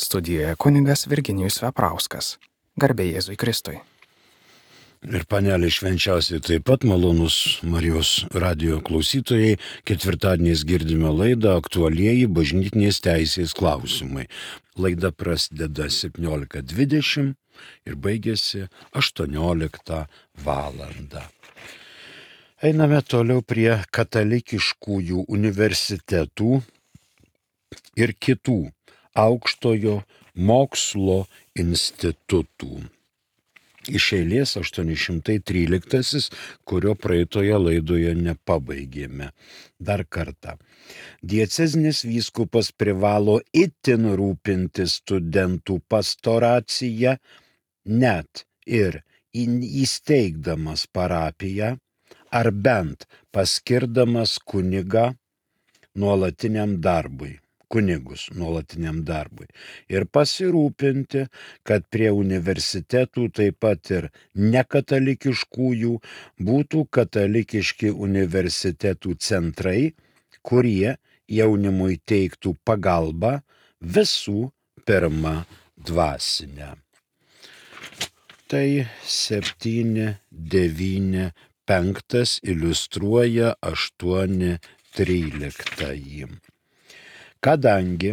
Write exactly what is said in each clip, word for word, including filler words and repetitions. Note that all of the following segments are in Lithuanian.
Studijoje kunigas Virginijus Veprauskas. Garbė Jėzui Kristui. Ir panelė švenčiausiai taip pat malonus Marijos radijo klausytojai. Ketvirtadieniais girdime laidą Aktualieji bažnytinės teisės klausimai. Laida prasideda septyniolika dvidešimt ir baigėsi aštuonioliktą valandą. Einame toliau prie katalikiškųjų universitetų ir kitų aukštojo mokslo institutų. Iš eilės aštuoni šimtai tryliktasis, kurio praeitoje laidoje nepabaigėme. Dar kartą. Diecezinis vyskupas privalo itin rūpintis studentų pastoracija, net ir įsteigdamas parapiją, ar bent paskirdamas kunigą nuolatiniam darbui. kunigus nuolatiniam darbui ir pasirūpinti, kad prie universitetų taip pat ir nekatalikiškųjų būtų katalikiški universitetų centrai, kurie jaunimui teiktų pagalbą visų pirma dvasinę. Tai septyni devyni penktas iliustruoja aštuoni tryliktąjį. Kadangi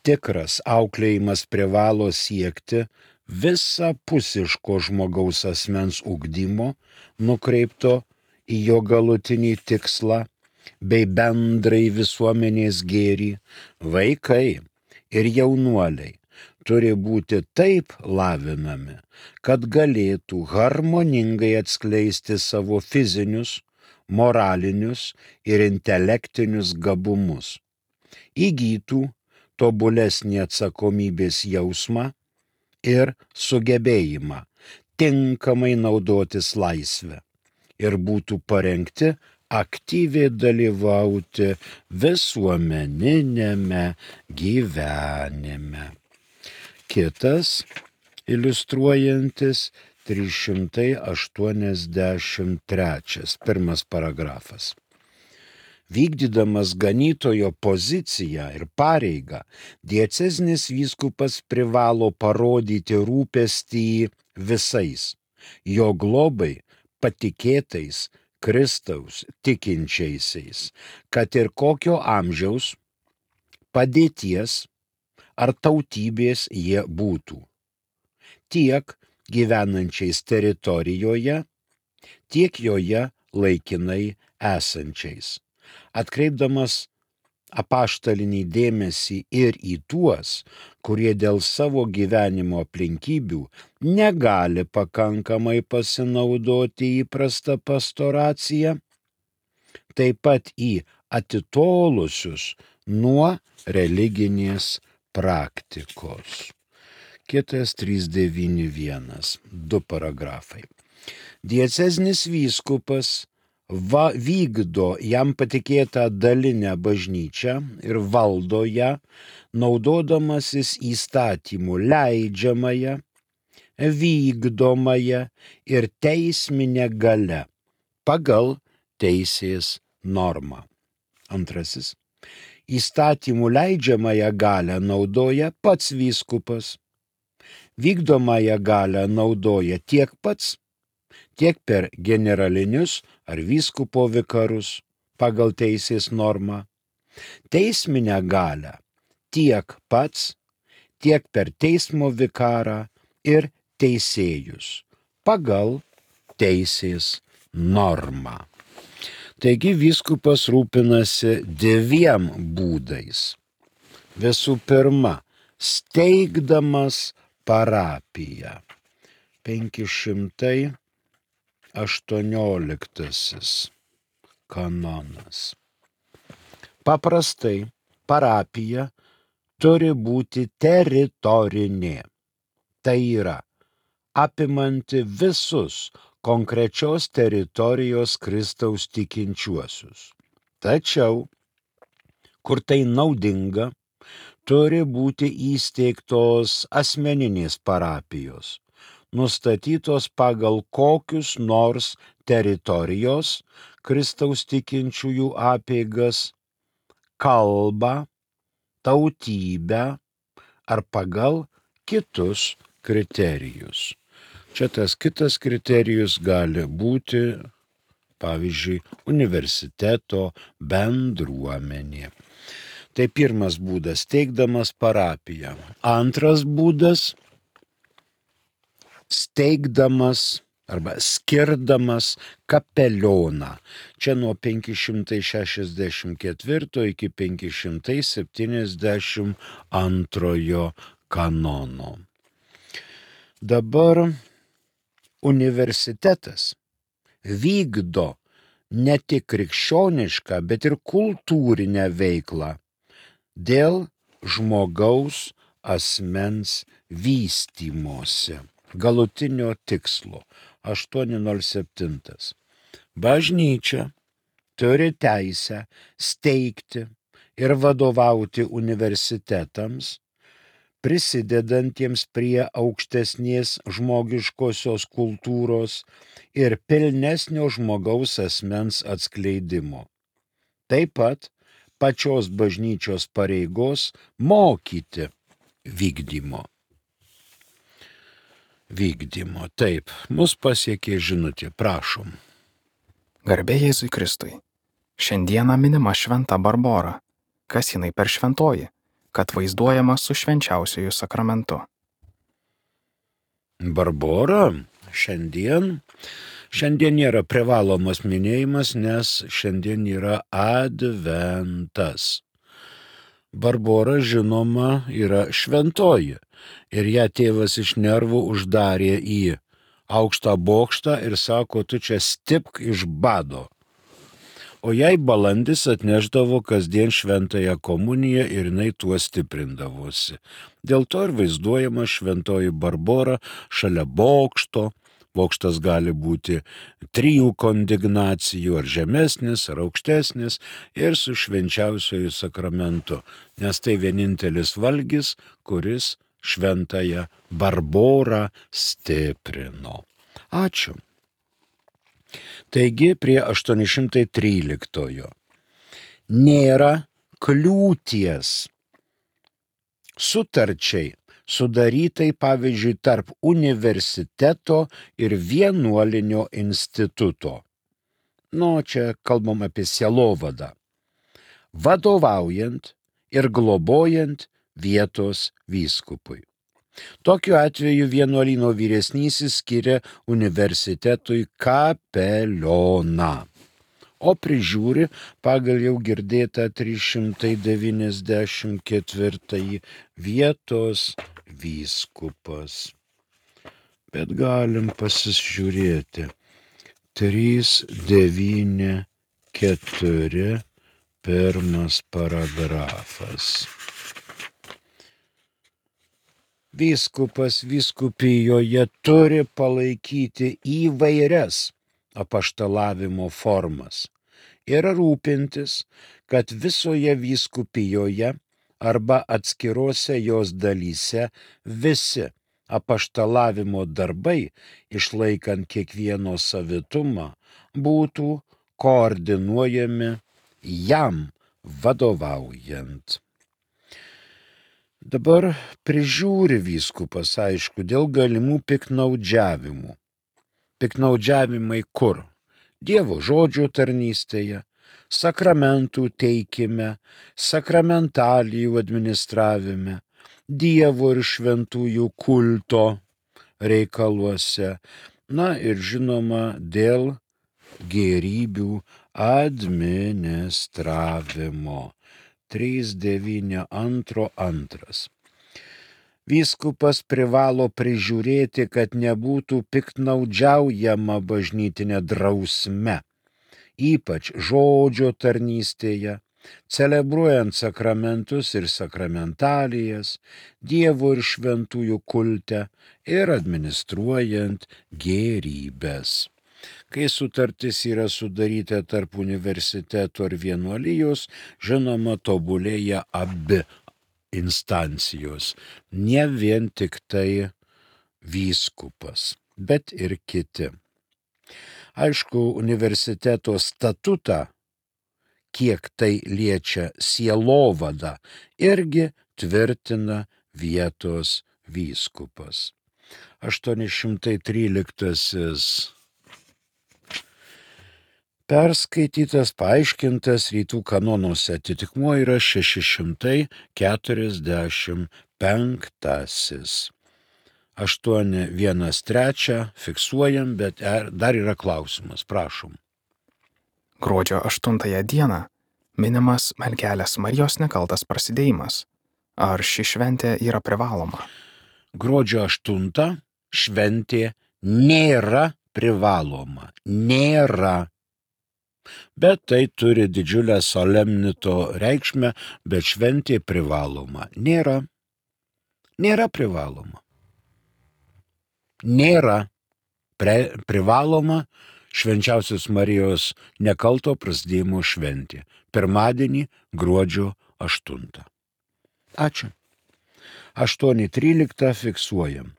tikras auklėjimas privalo siekti visapusiško žmogaus asmens ugdymo, nukreipto į jo galutinį tikslą, bei bendrai visuomenės gėrį, vaikai ir jaunuoliai turi būti taip lavinami, kad galėtų harmoningai atskleisti savo fizinius, moralinius ir intelektinius gabumus, įgytų tobulesnį atsakomybės jausmą ir sugebėjimą tinkamai naudotis laisvę ir būtų parengti aktyviai dalyvauti visuomeninėme gyvenime. Kitas iliustruojantis trys šimtai aštuoniasdešimt trečias, pirmas paragrafas. Vykdydamas ganytojo poziciją ir pareigą, diecezinis vyskupas privalo parodyti rūpestį visais jo globai patikėtais Kristaus tikinčiaisiais, kad ir kokio amžiaus, padėties ar tautybės jie būtų, tiek gyvenančiais teritorijoje, tiek joje laikinai esančiais. Atkreipdamas apaštalinį dėmesį ir į tuos, kurie dėl savo gyvenimo aplinkybių negali pakankamai pasinaudoti įprastą pastoraciją, taip pat į atitolusius nuo religinės praktikos. Kitas trys devyni vienas, du paragrafai. Diecezinis vyskupas Va, vykdo jam patikėtą dalinę bažnyčią ir valdo ją, naudodamasis įstatymų leidžiamąją, vykdomąją ir teisminę galią pagal teisės normą. Antrasis. Įstatymų leidžiamąją galią naudoja pats vyskupas. Vykdomąją galią naudoja tiek pats, tiek per generalinius ar vyskupo vikarus pagal teisės normą, teisminę galią tiek pats, tiek per teismo vikarą ir teisėjus pagal teisės normą. Taigi vyskupas rūpinasi dviem būdais. Visų pirma, steigdamas parapiją. penki šimtai aštuonioliktasis kanonas. Paprastai parapija turi būti teritorinė. Tai yra apimanti visus konkrečios teritorijos Kristaus tikinčiuosius. Tačiau, kur tai naudinga, turi būti įsteigtos asmeninės parapijos, nustatytos pagal kokius nors teritorijos Kristaus tikinčiųjų apeigas, kalbą, tautybę ar pagal kitus kriterijus. Čia tas kitas kriterijus gali būti, pavyzdžiui, universiteto bendruomenė. Tai pirmas būdas, steigdamas parapiją. Antras būdas, steigdamas arba skirdamas kapelioną. Čia nuo penki šimtai šešiasdešimt ketvirto iki penki šimtai septyniasdešimt antrojo kanono. Dabar universitetas vykdo ne tik krikščionišką, bet ir kultūrinę veiklą dėl žmogaus asmens vystymosi. Galutinio tikslo. aštuoni nulis septyni. Bažnyčia turi teisę steigti ir vadovauti universitetams, prisidedantiems prie aukštesnės žmogiškosios kultūros ir pilnesnio žmogaus asmens atskleidimo. Taip pat pačios bažnyčios pareigos mokyti vykdymo. Vykdymo. Taip, mus pasiekė žinutė, prašom. Garbė Jėzui Kristui. Šiandieną minima šventa Barbora. Kas jinai per šventoji, kad vaizduojama su švenčiausiuoju sakramentu? Barbora šiandien, šiandien nėra privalomas minėjimas, nes šiandien yra adventas. Barbora, žinoma, yra šventoji ir ją tėvas iš nervų uždarė į aukštą bokštą ir sako, tu čia stipk iš bado. O jai balandis atnešdavo kasdien šventąją komuniją ir jinai tuo stiprindavosi. Dėl to ir vaizduojama šventoji Barbora šalia bokšto. Bokštas gali būti trijų kondignacijų, ar žemesnis, ar aukštesnis, ir su švenčiausiuoju sakramentu, nes tai vienintelis valgis, kuris šventąją Barborą stiprino. Ačiū. Taigi prie aštuoni šimtai tryliktojo. Nėra kliūties sutarčiai sudarytai, pavyzdžiui, tarp universiteto ir vienuolinio instituto. Nu, čia kalbam apie sielovadą. Vadovaujant ir globojant vietos vyskupui. Tokiu atveju vienuolyno vyresnysis skiria universitetui kapelioną, o prižiūri pagal jau girdėtą trys šimtai devyniasdešimt ketvirtąjį vietos vyskupas. Bet galim pasižiūrėti. trys devyni keturi pirmas paragrafas. Vyskupas vyskupijoje turi palaikyti įvairias apaštalavimo formas ir rūpintis, kad visoje vyskupijoje arba atskirose jos dalyse visi apaštalavimo darbai, išlaikant kiekvieno savitumą, būtų koordinuojami jam vadovaujant. Dabar prižiūri vyskupas, aišku, dėl galimų piknaudžiavimų. Piknaudžiavimai kur? Dievo žodžio tarnystėje, sakramentų teikime, sakramentalijų administravime, Dievo ir šventųjų kulto reikaluose, na ir žinoma dėl gėrybių administravimo. trys devyni antro antras. Vyskupas privalo prižiūrėti, kad nebūtų piknaudžiaujama bažnytinė drausme, ypač žodžio tarnystėje, celebruojant sakramentus ir sakramentalijas, Dievo ir šventųjų kulte ir administruojant gėrybes. Kai sutartis yra sudaryta tarp universiteto ir vienuolijos, žinoma, tobulėja abi instancijos, ne vien tik tai vyskupas, bet ir kiti. Aišku, universiteto statutą, kiek tai liečia sielovadą, irgi tvirtina vietos vyskupas. aštuoni šimtai tryliktasis perskaitytas, paaiškintas rytų kanonuose, atitikmuo yra šeši šimtai keturiasdešimt penktasis. aštuoni vienas trys fiksuojam, bet dar yra klausimas, prašom. Gruodžio aštuntąją dieną minimas Mergelės Marijos nekaltas prasidėjimas. Ar ši šventė yra privaloma? Gruodžio aštuntą šventė nėra privaloma. Nėra. Bet tai turi didžiulę solemnito reikšmę, bet šventė privaloma. Nėra. Nėra privaloma. Nėra pre, privaloma švenčiausios Marijos nekalto prasidėjimo šventė. Pirmadienį gruodžio aštuntą. Ačiū. aštuoni trylika fiksuojam.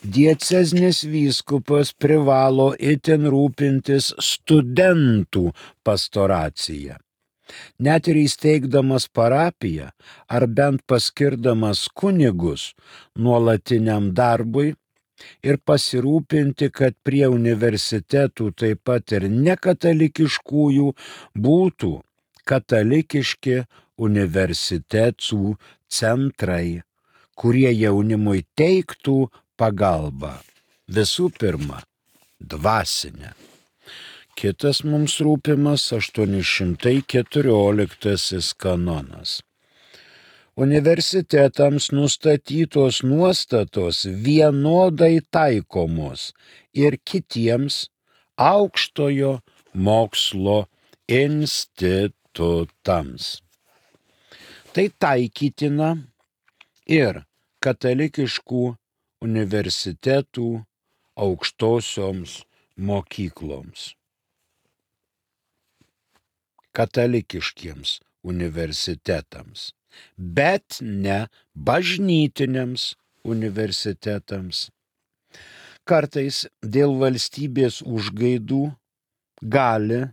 Diecezinis vyskupas privalo itin rūpintis studentų pastoracija. Net ir įsteigdamas parapiją ar bent paskirdamas kunigus nuolatiniam darbui ir pasirūpinti, kad prie universitetų taip pat ir nekatalikiškųjų būtų katalikiški universitetų centrai, kurie jaunimui teiktų pagalbą. Visų pirma, dvasinę. Kitas mums rūpimas aštuoni šimtai keturioliktasis kanonas. Universitetams nustatytos nuostatos vienodai taikomos ir kitiems aukštojo mokslo institutams. Tai taikytina ir katalikiškų universitetų aukštosioms mokykloms. Katalikiškiems universitetams, bet ne bažnytiniams universitetams. Kartais dėl valstybės užgaidų gali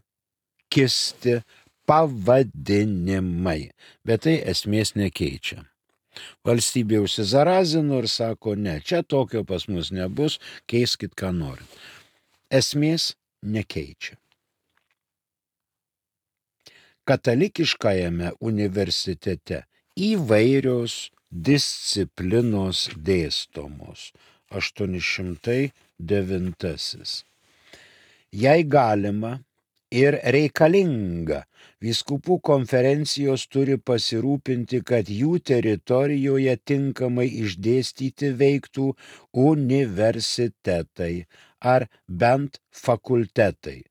kisti pavadinimai, bet tai esmės nekeičia. Valstybė užsizarazino ir sako, ne, čia tokio pas mus nebus, keiskit ką norit. Esmės nekeičia. Katalikiškajame universitete įvairios disciplinos dėstomos. aštuoni šimtai devintasis. Jei galima ir reikalinga, vyskupų konferencijos turi pasirūpinti, kad jų teritorijoje tinkamai išdėstyti veiktų universitetai ar bent fakultetai,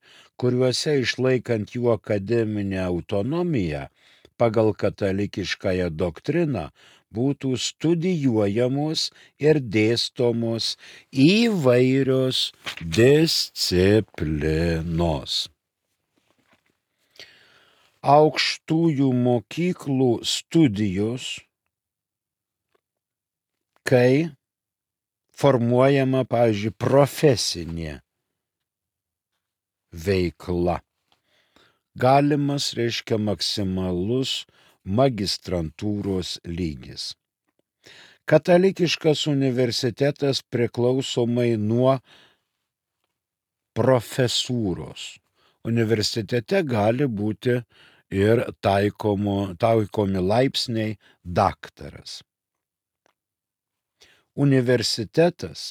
kuriuose išlaikant jų akademinę autonomiją pagal katalikiškąją doktriną būtų studijuojamos ir dėstomos įvairios disciplinos. Aukštųjų mokyklų studijos, kai formuojama, pavyzdžiui, profesinė veikla. Galimas reiškia maksimalus magistrantūros lygis. Katalikiškas universitetas priklausomai nuo profesūros. Universitete gali būti ir taikomo, taikomi laipsniai daktaras. Universitetas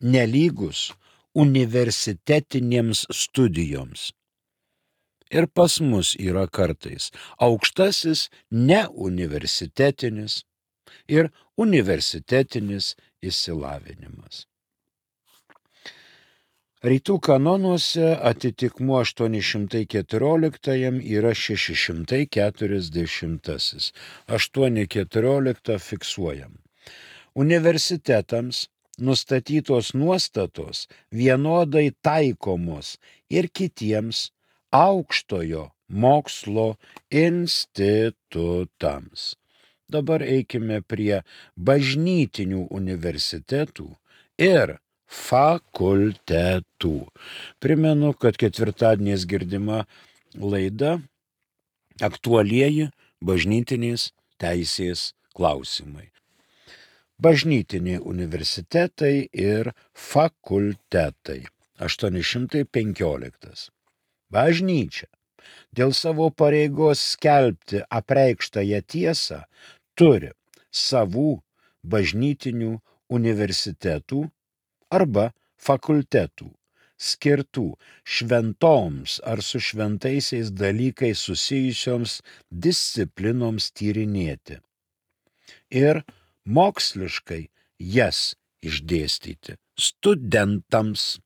nelygus universitetinėms studijoms. Ir pas mus yra kartais aukštasis neuniversitetinis ir universitetinis išsilavinimas. Rytų kanonuose atitikmuo aštuoni šimtai keturioliktajam yra šeši šimtai keturiasdešimtasis. aštuoni keturiolika fiksuojam. Universitetams nustatytos nuostatos vienodai taikomos ir kitiems aukštojo mokslo institutams. Dabar eikime prie bažnytinių universitetų ir fakultetų. Primenu, kad ketvirtadieniais girdima laida aktualieji bažnytinės teisės klausimai. Bažnytiniai universitetai ir fakultetai. aštuoni šimtai penkioliktas. Bažnyčia dėl savo pareigos skelbti apreikštąją tiesą turi savų bažnytinių universitetų arba fakultetų, skirtų šventoms ar su šventaisiais dalykais susijusioms disciplinoms tyrinėti ir moksliškai jas išdėstyti studentams.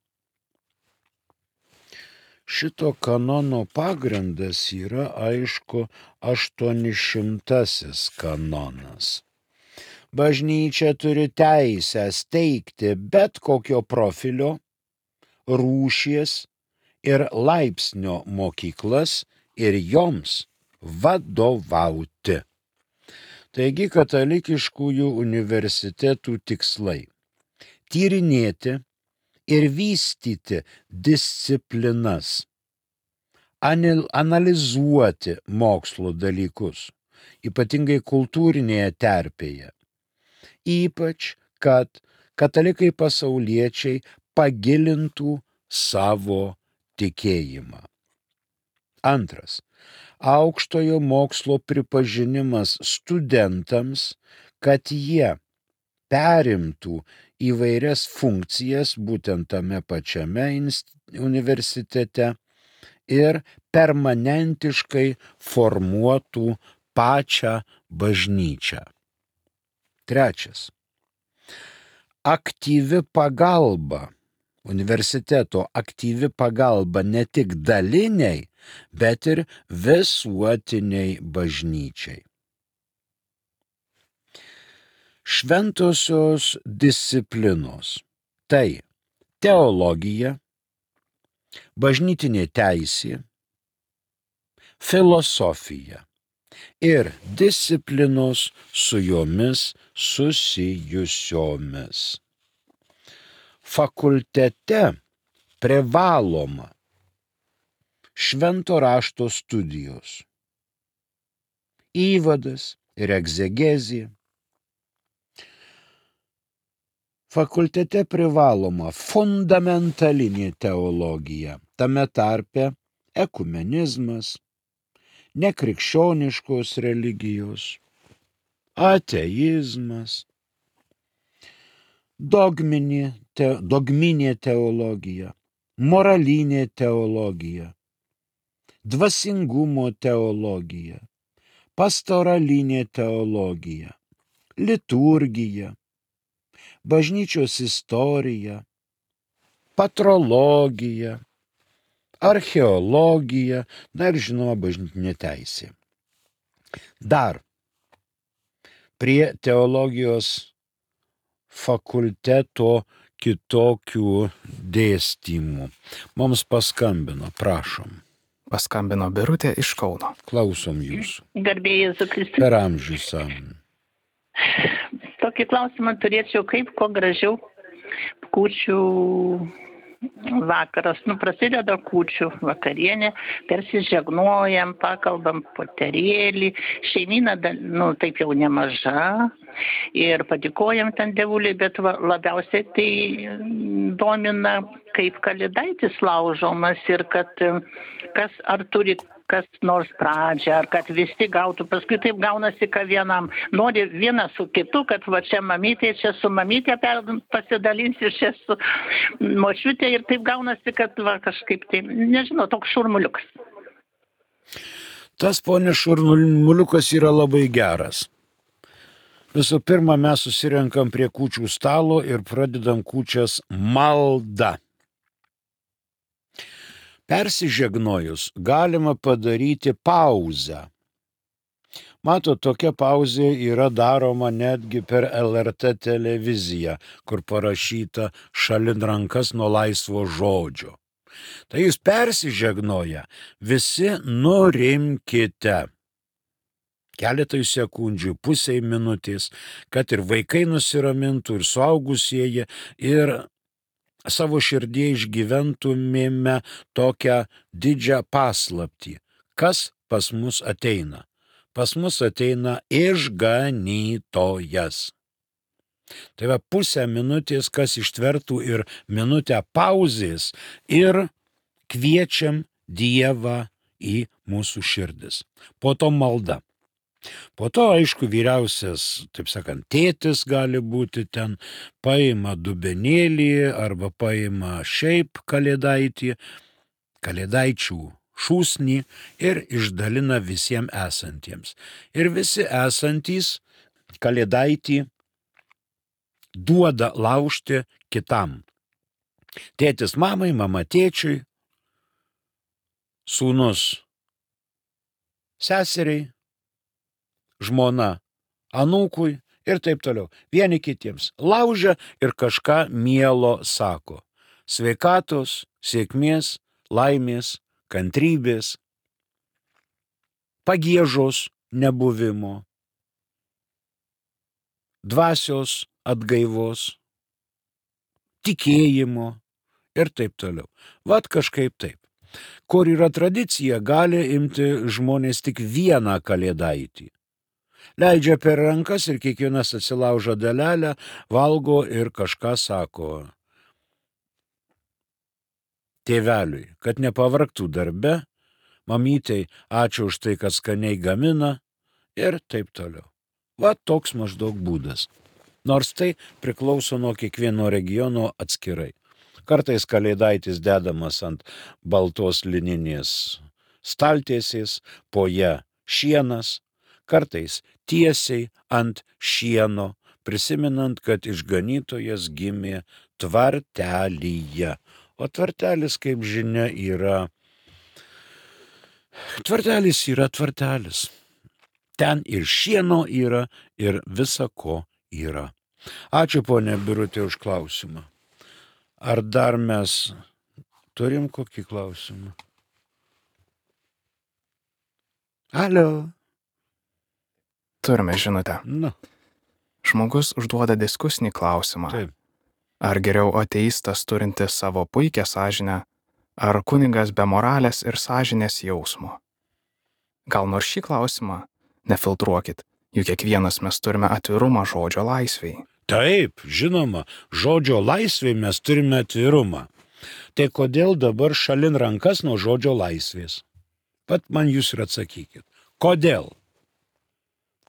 Šito kanono pagrindas yra, aišku, aštuonišimtasis kanonas. Bažnyčia turi teisę steigti bet kokio profilio, rūšies ir laipsnio mokyklas ir joms vadovauti. Taigi katalikiškųjų universitetų tikslai – tyrinėti ir vystyti disciplinas, analizuoti mokslo dalykus, ypatingai kultūrinėje terpėje, ypač kad katalikai pasauliečiai pagilintų savo tikėjimą. Antras. Aukštojo mokslo pripažinimas studentams, kad jie perimtų įvairias funkcijas būtent tame pačiame universitete ir permanentiškai formuotų pačią bažnyčią. Trečias. Aktyvi pagalba, universiteto aktyvi pagalba ne tik daliniai, bet ir visuotiniai bažnyčiai. Šventosios disciplinos – tai teologija, bažnytinė teisė, filosofija ir disciplinos su jomis susijusiomis. Fakultete privaloma švento rašto studijos, įvadas ir egzegezija. Fakultete privaloma fundamentalinė teologija, tame tarpe ekumenizmas, nekrikščioniškos religijos, ateizmas, dogminė, te, dogminė teologija, moralinė teologija, dvasingumo teologija, pastoralinė teologija, liturgija, bažnyčios istorija, patrologija, archeologija, na ir žinoma bažnytinė teisė. Dar prie teologijos fakulteto kitokių dėstymų. Mums paskambino, prašom. Paskambino Birutė iš Kauno. Klausom jūsų. Garbė Jėzų Kristų. Per amžius am. Tokį klausimą turėčiau, kaip kuo gražiau kūčių vakaras. Nu, prasideda kūčių vakarienė, persižegnojam, pakalbam poterėlį, šeimyna, nu, taip jau nemaža ir padėkojam ten dievuliui, bet va, labiausiai tai domina, kaip kalėdaitis laužomas ir kad kas ar turi kas nors pradžią, ar kad visi gautų, paskui taip gaunasi, kad vienam nori vienas su kitu, kad va čia mamytė, čia su mamytė pasidalinsi, čia su močiutė ir taip gaunasi, kad va kažkaip tai, nežinau, toks šurmuliukas. Tas, ponė, šurmuliukas yra labai geras. Visų pirma, mes susirenkam prie kūčių stalo ir pradedam kūčias malda. Persižegnojus galima padaryti pauzę. Matot, tokia pauzė yra daroma netgi per L R T televiziją, kur parašyta šalin rankas nuo laisvo žodžio. Tai jūs persižegnoja, visi nurimkite. Keletui sekundžių, pusiai minutės, kad ir vaikai nusiramintų, ir suaugusieji, ir savo širdie išgyventumėme tokią didžią paslaptį. Kas pas mus ateina? Pas mus ateina išganytojas. Tai va pusę minutės, kas ištvertų ir minutę pauzės ir kviečiam Dievą į mūsų širdis. Po to malda. Po to, aišku, vyriausias, taip sakant, tėtis gali būti ten, paima dubenėlį arba paima šiaip kalėdaitį, kalėdaičių šūsnį ir išdalina visiems esantiems. Ir visi esantys kalėdaitį duoda laužti kitam. Tėtis mamai, mama tėčiui, sūnus seseriai, žmona anūkui ir taip toliau. Vieni kitiems laužia ir kažką mielo sako. Sveikatos, sėkmės, laimės, kantrybės, pagiežos nebuvimo, dvasios atgaivos, tikėjimo ir taip toliau. Vat kažkaip taip. Kur yra tradicija, gali imti žmonės tik vieną kalėdaitį. Leidžia per rankas ir kiekvienas atsilaužo dalelę, valgo ir kažką sako tėveliui, kad nepavargtų darbe, mamytei ačiū už tai, kad skaniai gamina ir taip toliau. Va toks maždaug būdas. Nors tai priklauso nuo kiekvieno regiono atskirai. Kartais kalėdaitis dedamas ant baltos lininės staltiesės, po ją šienas, kartais tiesiai ant šieno, prisimenant, kad išganytojas gimė tvartelyje. O tvartelis, kaip žinia, yra... Tvartelis yra tvartelis. Ten ir šieno yra, ir visa ko yra. Ačiū, ponė Birutė, už klausimą. Ar dar mes turim kokį klausimą? Alio. Turime žinutę. Na, Žmogus užduoda diskusinį klausimą. taip. Ar geriau ateistas turintis savo puikią sąžinę, ar kunigas be moralės ir sąžinės jausmo? Gal nors šį klausimą nefiltruokit, juk kiekvienas mes turime atvirumą žodžio laisvei. Taip, žinoma, žodžio laisvėj mes turime atvirumą. Tai kodėl dabar šalin rankas nuo žodžio laisvės? Pat man jūs ir atsakykit. Kodėl?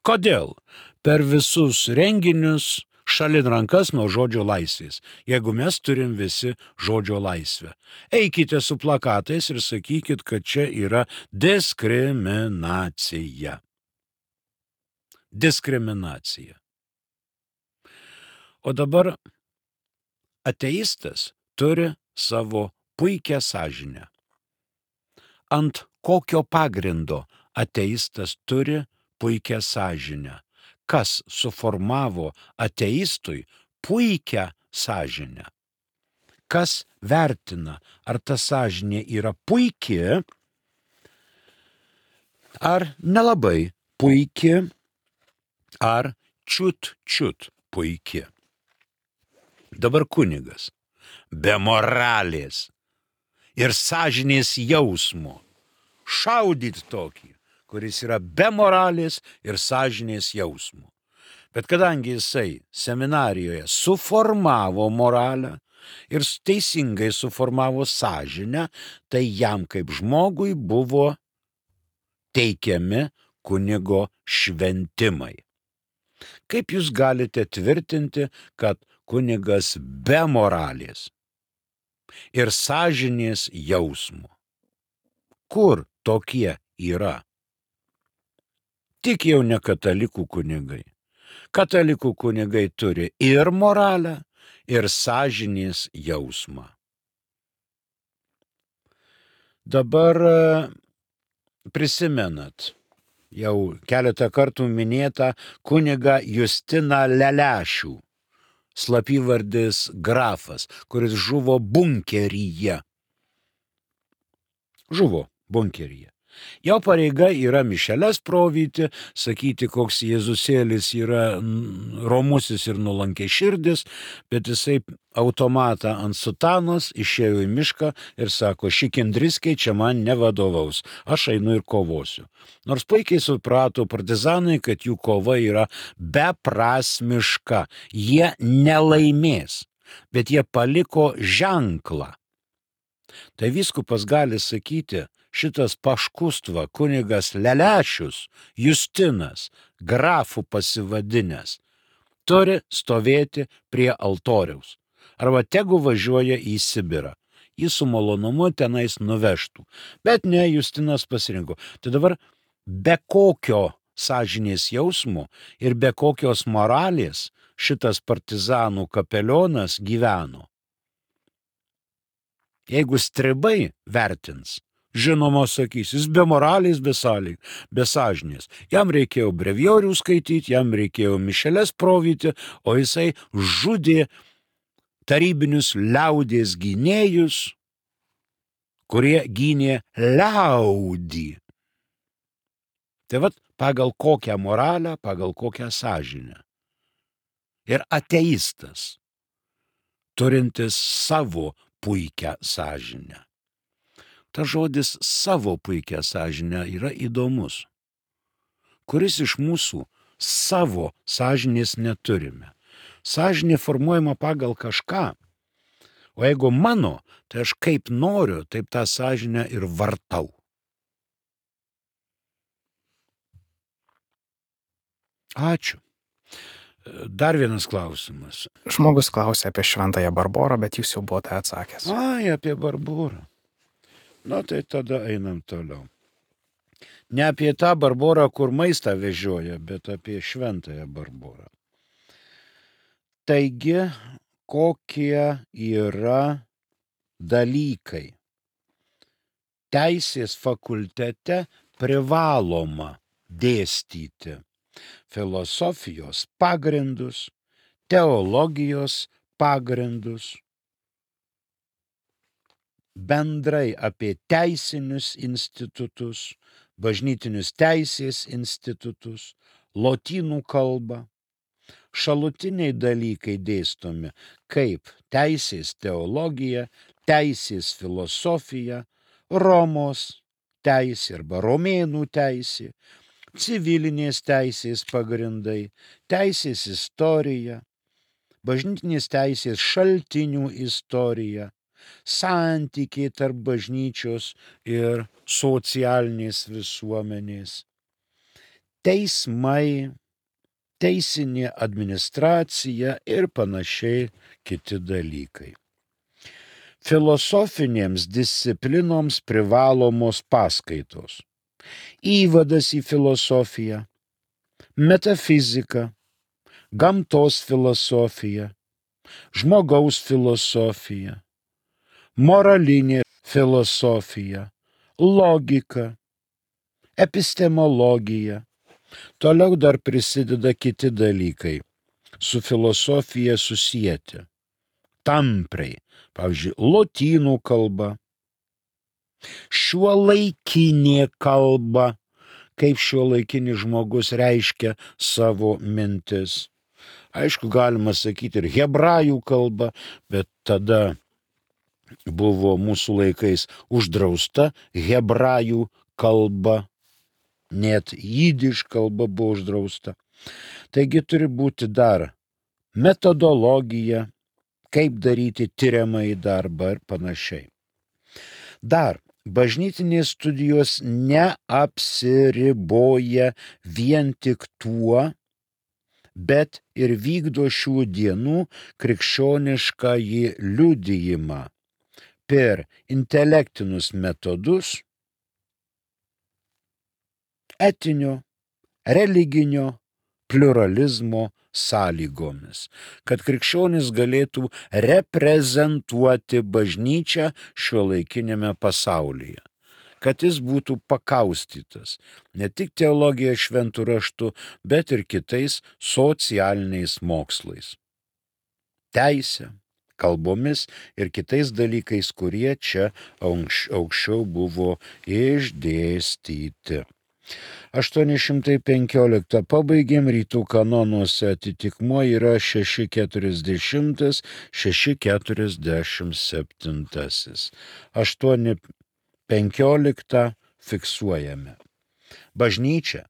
Kodėl per visus renginius šalin rankas nuo žodžio laisvės, jeigu mes turim visi žodžio laisvę? Eikite su plakatais ir sakykit, kad čia yra diskriminacija. Diskriminacija. O dabar ateistas turi savo puikią sąžinę. Ant kokio pagrindo ateistas turi puikią sąžinę? Kas suformavo ateistui puikią sąžinę? Kas vertina, ar ta sąžinė yra puiki, ar nelabai puiki, ar čiut-čiut puiki? Dabar kunigas be moralės ir sąžinės jausmo šaudyt tokį, kuris yra be moralės ir sąžinės jausmo. Bet kadangi jisai seminarijoje suformavo moralę ir teisingai suformavo sąžinę, tai jam kaip žmogui buvo teikiami kunigo šventimai. Kaip jūs galite tvirtinti, kad kunigas be moralės ir sąžinės jausmo? Kur tokie yra? Tik jau ne katalikų kunigai. Katalikų kunigai turi ir moralę, ir sąžinės jausmą. Dabar prisimenat jau keletą kartų minėtą kunigą Justiną Lelešių, slapyvardis Grafas, kuris žuvo bunkeryje. Žuvo bunkeryje. Jo pareiga yra mišeles provyti, sakyti, koks Jėzusėlis yra romusis ir nulankiai širdis, bet jisai automatą ant sutanos išėjo į mišką ir sako, ši kendriskė čia man nevadovaus, aš einu ir kovosiu. Nors puikiai suprato partizanai, kad jų kova yra beprasmiška, jie nelaimės, bet jie paliko ženklą. Tai vyskupas gali sakyti, šitas paškustva kunigas Lelešius, Justinas, grafų pasivadinęs, turi stovėti prie altoriaus. Arba tegu važiuoja į Sibirą. Jį su malonumu tenais nuvežtų. Bet ne, Justinas pasirinko. Tai dabar be kokio sąžinės jausmo ir be kokios moralės šitas partizanų kapelionas gyveno. Jeigu stribai vertins, žinoma, sakys, jis be moralės, be sąlyg, be sąžinės. Jam reikėjo brevijorių skaityti, jam reikėjo mišeles provyti, o jisai žudė tarybinius liaudės gynėjus, kurie gynė liaudį. Tai vat pagal kokią moralę, pagal kokią sąžinę. Ir ateistas, turintis savo puikią sąžinę. Ta žodis savo puikią sąžinę yra įdomus. Kuris iš mūsų savo sąžinės neturime? Sąžinė formuojama pagal kažką. O jeigu mano, tai aš kaip noriu, taip tą sąžinę ir vartau. Ačiū. Dar vienas klausimas. Žmogus klausė apie šventąją Barborą, bet jūs jau buvote atsakęs. Ai, apie Barborą. Na, tai tada einam toliau. Ne apie tą Barborą, kur maistą vežioja, bet apie šventąją Barborą. Taigi, kokie yra dalykai teisės fakultete privaloma dėstyti? Filosofijos pagrindus, teologijos pagrindus, bendrai apie teisinius institutus, bažnytinius teisės institutus, lotynų kalbą. Šalutiniai dalykai dėstomi kaip teisės teologija, teisės filosofija, Romos teisė arba romėnų teisė, civilinės teisės pagrindai, teisės istorija, bažnytinės teisės šaltinių istorija, santykiai tarp bažnyčios ir socialinės visuomenės, teismai, teisinė administracija ir panašiai kiti dalykai. Filosofinėms disciplinoms privalomos paskaitos. Įvadas į filosofiją, metafizika, gamtos filosofija, žmogaus filosofija, moralinė filosofija, logika, epistemologija. Toliau dar prisideda kiti dalykai su filosofija susijęti. Tampriai, pavyzdžiui, lotynų kalba, šiuolaikinė kalba, kaip šiuolaikinis žmogus reiškia savo mintis. Aišku, galima sakyti ir hebrajų kalba, bet tada buvo mūsų laikais uždrausta hebrajų kalba, net jidiš kalba buvo uždrausta. Taigi turi būti dar metodologija, kaip daryti tiriamąjį darbą ir panašiai. Dar bažnytinės studijos neapsiriboja vien tik tuo, bet ir vykdo šių dienų krikščioniškąjį liudijimą per intelektinius metodus, etinio, religinio pliuralizmo sąlygomis, kad krikščionis galėtų reprezentuoti bažnyčią šiuolaikinėme pasaulyje, kad jis būtų pakaustytas ne tik teologija šventų raštų, bet ir kitais socialiniais mokslais. Teisė, kalbomis ir kitais dalykais, kurie čia aukščiau buvo išdėstyti. aštuoni šimtai penkioliktą pabaigėm, rytų kanonuose atitikmuo yra šeši keturiasdešimt, šeši keturiasdešimt septyni. aštuoni penkioliktą fiksuojame. Bažnyčia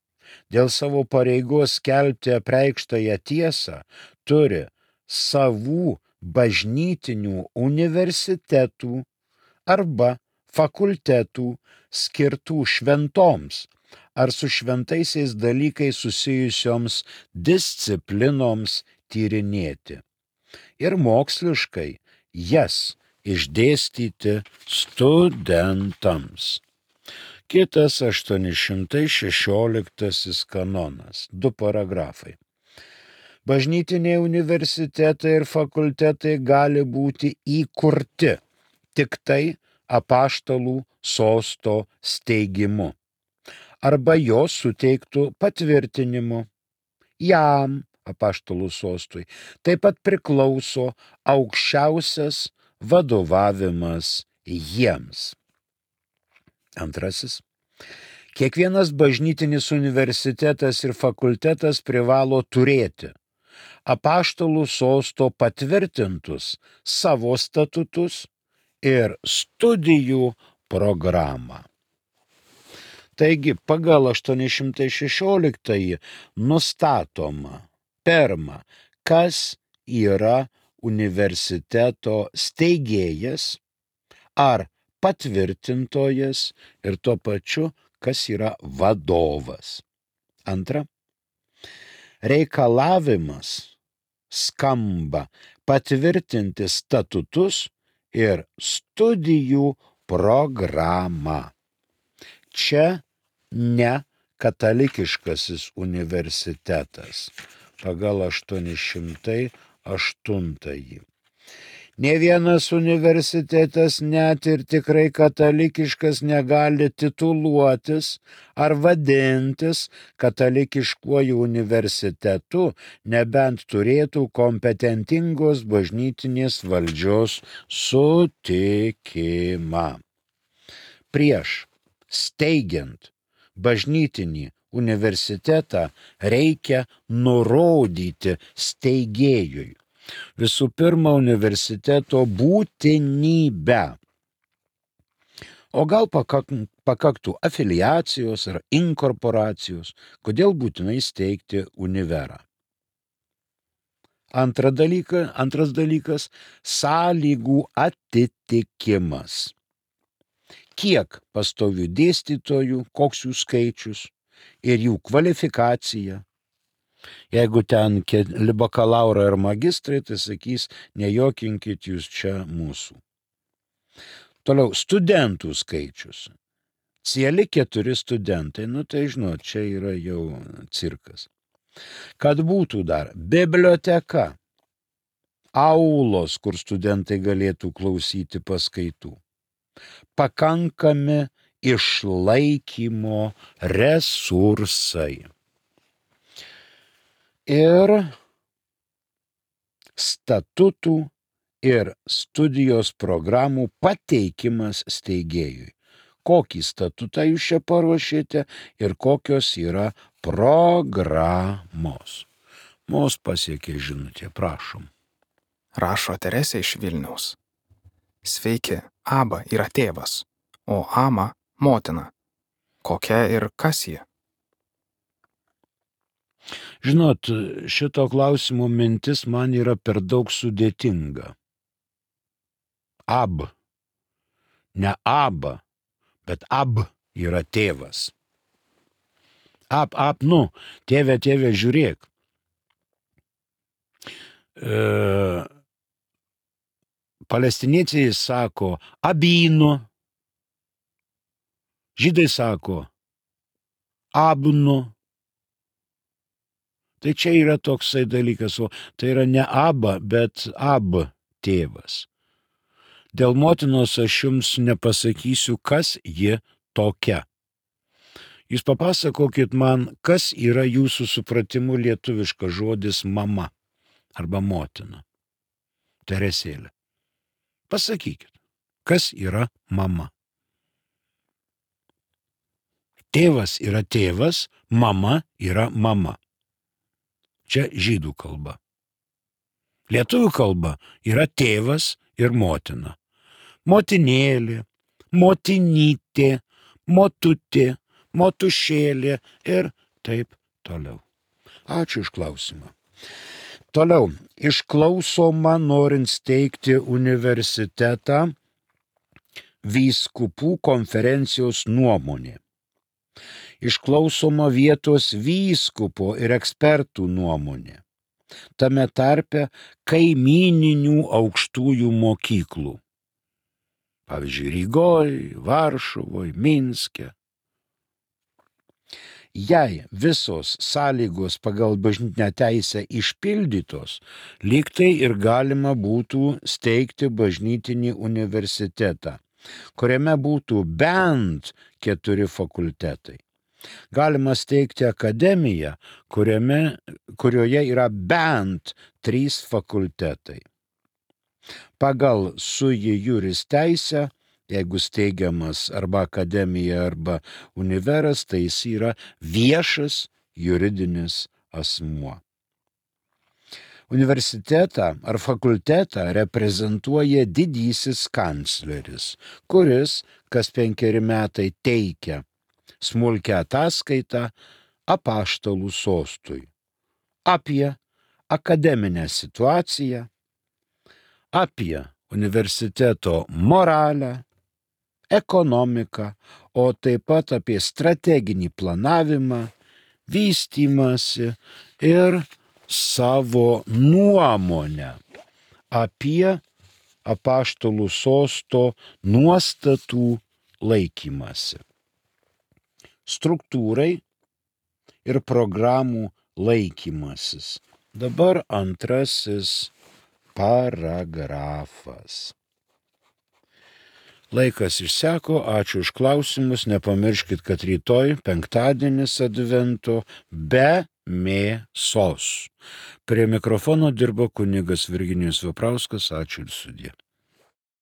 dėl savo pareigos skelbti apreikštąją tiesą turi savų bažnytinių universitetų arba fakultetų skirtų šventoms ar su šventaisiais dalykais susijusioms disciplinoms tyrinėti ir moksliškai jas išdėstyti studentams. Kitas aštuoni šimtai šešioliktasis kanonas, du paragrafai. Bažnytiniai universitetai ir fakultetai gali būti įkurti tik tai apaštalų sosto steigimu arba jos suteiktų patvirtinimu. Jam, apaštalų sostui, taip pat priklauso aukščiausias vadovavimas jiems. Antrasis. Kiekvienas bažnytinis universitetas ir fakultetas privalo turėti apaštalų sosto patvirtintus savo statutus ir studijų programą. Taigi, pagal aštuoni šimtai šešioliktąjį nustatoma, pirma, kas yra universiteto steigėjas ar patvirtintojas ir tuo pačiu, kas yra vadovas. Antra, reikalavimas skamba patvirtinti statutus ir studijų programą. Čia ne katalikiškasis universitetas pagal aštuoni šimtai aštuntąjį. Nė vienas universitetas, net ir tikrai katalikiškas, negali tituluotis ar vadintis katalikiškuoju universitetu, nebent turėtų kompetentingos bažnytinės valdžios sutikimą. Prieš steigiant bažnytinį universitetą reikia nurodyti steigėjui visų pirma universiteto būtinybę. O gal pakaktų afiliacijos ar inkorporacijos, kodėl būtinai steigti univerą. Antra dalyka, antras dalykas – sąlygų atitikimas. Kiek pastovių dėstytojų, koks jų skaičius ir jų kvalifikacija. Jeigu ten keli bakalaurai ar magistrai, tai sakys, nejokinkit jūs čia mūsų. Toliau, studentų skaičius. Cieli keturi studentai, nu tai žinot, čia yra jau cirkas. Kad būtų dar biblioteka, aulos, kur studentai galėtų klausyti paskaitų. Pakankami išlaikymo resursai. Ir statutų ir studijos programų pateikimas steigėjui. Kokį statutą jūs čia paruošėte ir kokios yra programos. Mus pasiekė žinutė, prašom. Rašo Teresė iš Vilniaus. Sveiki, Aba yra tėvas, o Ama motina. Kokia ir kas ji? Žinot, šito klausimo mintis man yra per daug sudėtinga. Ab. Ne Aba, bet Ab yra tėvas. Ab, ab, nu, tėve, tėve, žiūrėk. E, palestiniečiai sako abinu, žydai sako abnu. Tai čia yra toksai dalykas, o tai yra ne Aba, bet Ab tėvas. Dėl motinos aš jums nepasakysiu, kas ji tokia. Jūs papasakokit man, kas yra jūsų supratimu lietuviškas žodis mama arba motina. Teresėlė. Pasakykit, kas yra mama? Tėvas yra tėvas, mama yra mama. Čia žydų kalba. Lietuvių kalba yra tėvas ir motina. Motinėlė, motinytė, motutė, motušėlė ir taip toliau. Ačiū už klausimą. Toliau, išklausoma norint steigti universitetą vyskupų konferencijos nuomonė. Išklausoma vietos vyskupo ir ekspertų nuomonė. Tame tarpe kaimyninių aukštųjų mokyklų. Pavyzdžiui, Rygoj, Varšuvoj, Minske. Jei visos sąlygos pagal bažnytinę teisę išpildytos, lyg tai ir galima būtų steigti bažnytinį universitetą, kuriame būtų bent keturi fakultetai. Galima steigti akademiją, kuriame, kurioje yra bent trys fakultetai. Pagal sui juris teisę, jeigu steigiamas arba akademija, arba univeras, tai jis yra viešas juridinis asmuo. Universitetą ar fakultetą reprezentuoja didysis kancleris, kuris kas penkeri metai teikia smulkią ataskaitą apaštalų sostui apie akademinę situaciją, apie universiteto moralę, ekonomiką, o taip pat apie strateginį planavimą, vystymąsi ir savo nuomonę apie apaštalų sosto nuostatų laikymąsi. Struktūrai ir programų laikymasis. Dabar antrasis paragrafas. Laikas išseko, ačiū už klausimus, nepamirškit, kad rytoj penktadienis advento be mėsos. Prie mikrofono dirbo kunigas Virginijus Veprauskas, ačiū ir sudie.